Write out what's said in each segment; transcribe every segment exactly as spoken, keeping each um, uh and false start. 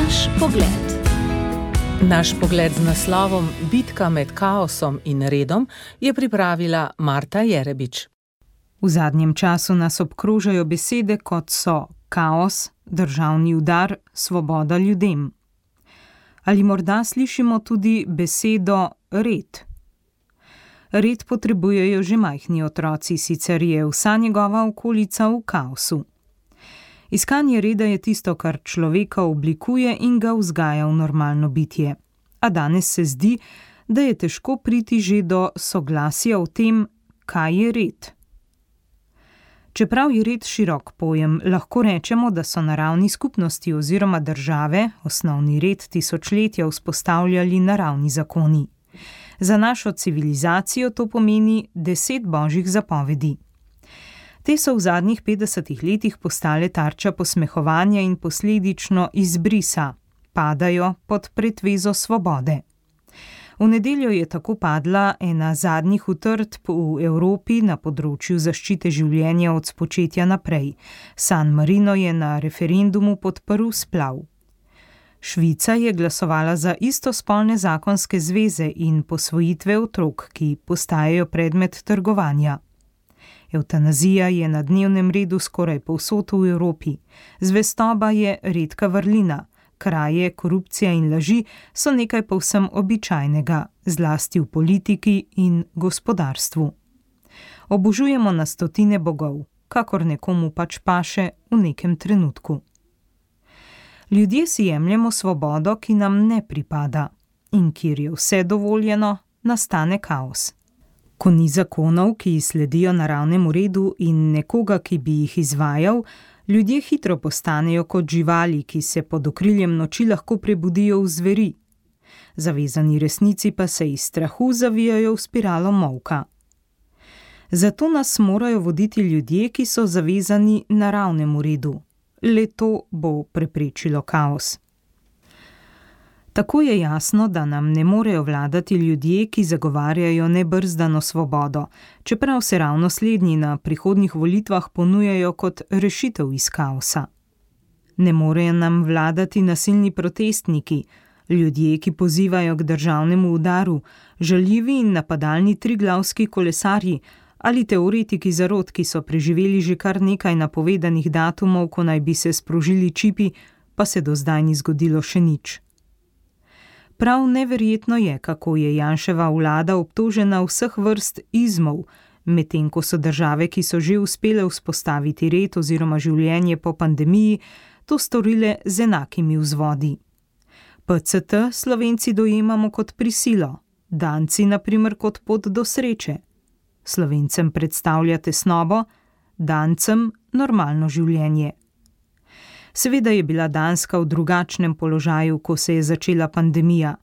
Naš pogled. Naš pogled z naslovom Bitka med kaosom in redom je pripravila Marta Jerebič. V zadnjem času nas obkrožajo besede, kot so kaos, državni udar, svoboda ljudem. Ali morda slišimo tudi besedo red? Red potrebujejo že majhni otroci, sicer je vsa njegova okolica v kaosu. Iskanje reda je tisto, kar človeka oblikuje in ga vzgaja v normalno bitje. A danes se zdi, da je težko priti že do soglasja o tem, kaj je red. Čeprav je red širok pojem, lahko rečemo, da so naravni skupnosti oziroma države osnovni red tisočletja vzpostavljali naravni zakoni. Za našo civilizacijo to pomeni deset božjih zapovedi. Te so v zadnjih petdesetih letih postale tarča posmehovanja in posledično izbrisa, padajo pod pretvezo svobode. V nedeljo je tako padla ena zadnjih utrdb v Evropi na področju zaščite življenja od spočetja naprej. San Marino je na referendumu podprl splav. Švica je glasovala za istospolne zakonske zveze in posvojitve otrok, ki postajajo predmet trgovanja. Evtanazija je na dnevnem redu skoraj povsod v Evropi. Zvestoba je redka vrlina. Kraje, korupcija in laži so nekaj povsem običajnega, zlasti v politiki in gospodarstvu. Obožujemo na stotine bogov, kakor nekomu pač paše v nekem trenutku. Ljudje si jemljemo svobodo, ki nam ne pripada, in kjer je vse dovoljeno, nastane kaos. Ko ni zakonov, ki sledijo naravnemu redu in nekoga, ki bi jih izvajal, ljudje hitro postanejo kot živali, ki se pod okriljem noči lahko prebudijo v zveri. Zavezani resnici pa se iz strahu zavijajo v spiralo molka. Zato nas morajo voditi ljudje, ki so zavezani naravnemu redu. Le to bo preprečilo kaos. Tako je jasno, da nam ne morejo vladati ljudje, ki zagovarjajo nebrzdano svobodo, čeprav se ravno slednji na prihodnjih volitvah ponujajo kot rešitev iz kaosa. Ne morejo nam vladati nasilni protestniki, ljudje, ki pozivajo k državnemu udaru, žaljivi in napadalni triglavski kolesarji ali teoretiki zarot, ki so preživeli že kar nekaj napovedanih datumov, ko naj bi se sprožili čipi, pa se do zdaj ni zgodilo še nič. Prav neverjetno je, kako je Janševa vlada obtožena vseh vrst izmov, medtem ko so države, ki so že uspele vzpostaviti red oziroma življenje po pandemiji, to storile z enakimi vzvodi. P C T Slovenci dojemamo kot prisilo, Danci na primer kot pot do sreče. Slovencem predstavlja tesnobo, Dancem normalno življenje. Seveda je bila Danska v drugačnem položaju, ko se je začela pandemija.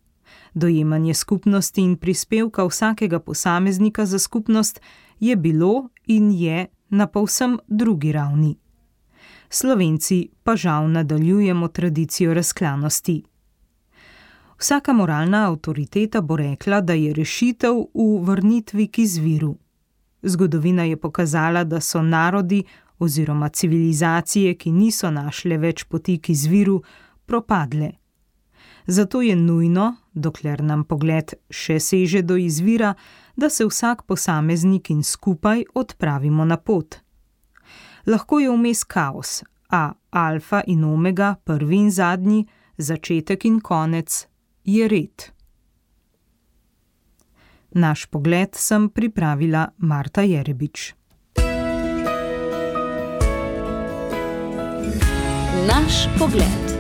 Dojemanje skupnosti in prispevka vsakega posameznika za skupnost je bilo in je na povsem drugi ravni. Slovenci pa žal nadaljujemo tradicijo razklanosti. Vsaka moralna avtoriteta bo rekla, da je rešitev v vrnitvi k izviru. Zgodovina je pokazala, da so narodi oziroma civilizacije, ki niso našle več poti k izviru, propadle. Zato je nujno, dokler nam pogled še seže do izvira, da se vsak posameznik in skupaj odpravimo na pot. Lahko je vmes kaos, a alfa in omega, prvi in zadnji, začetek in konec, je red. Naš pogled sem pripravila Marta Jerebič. Naš pogled.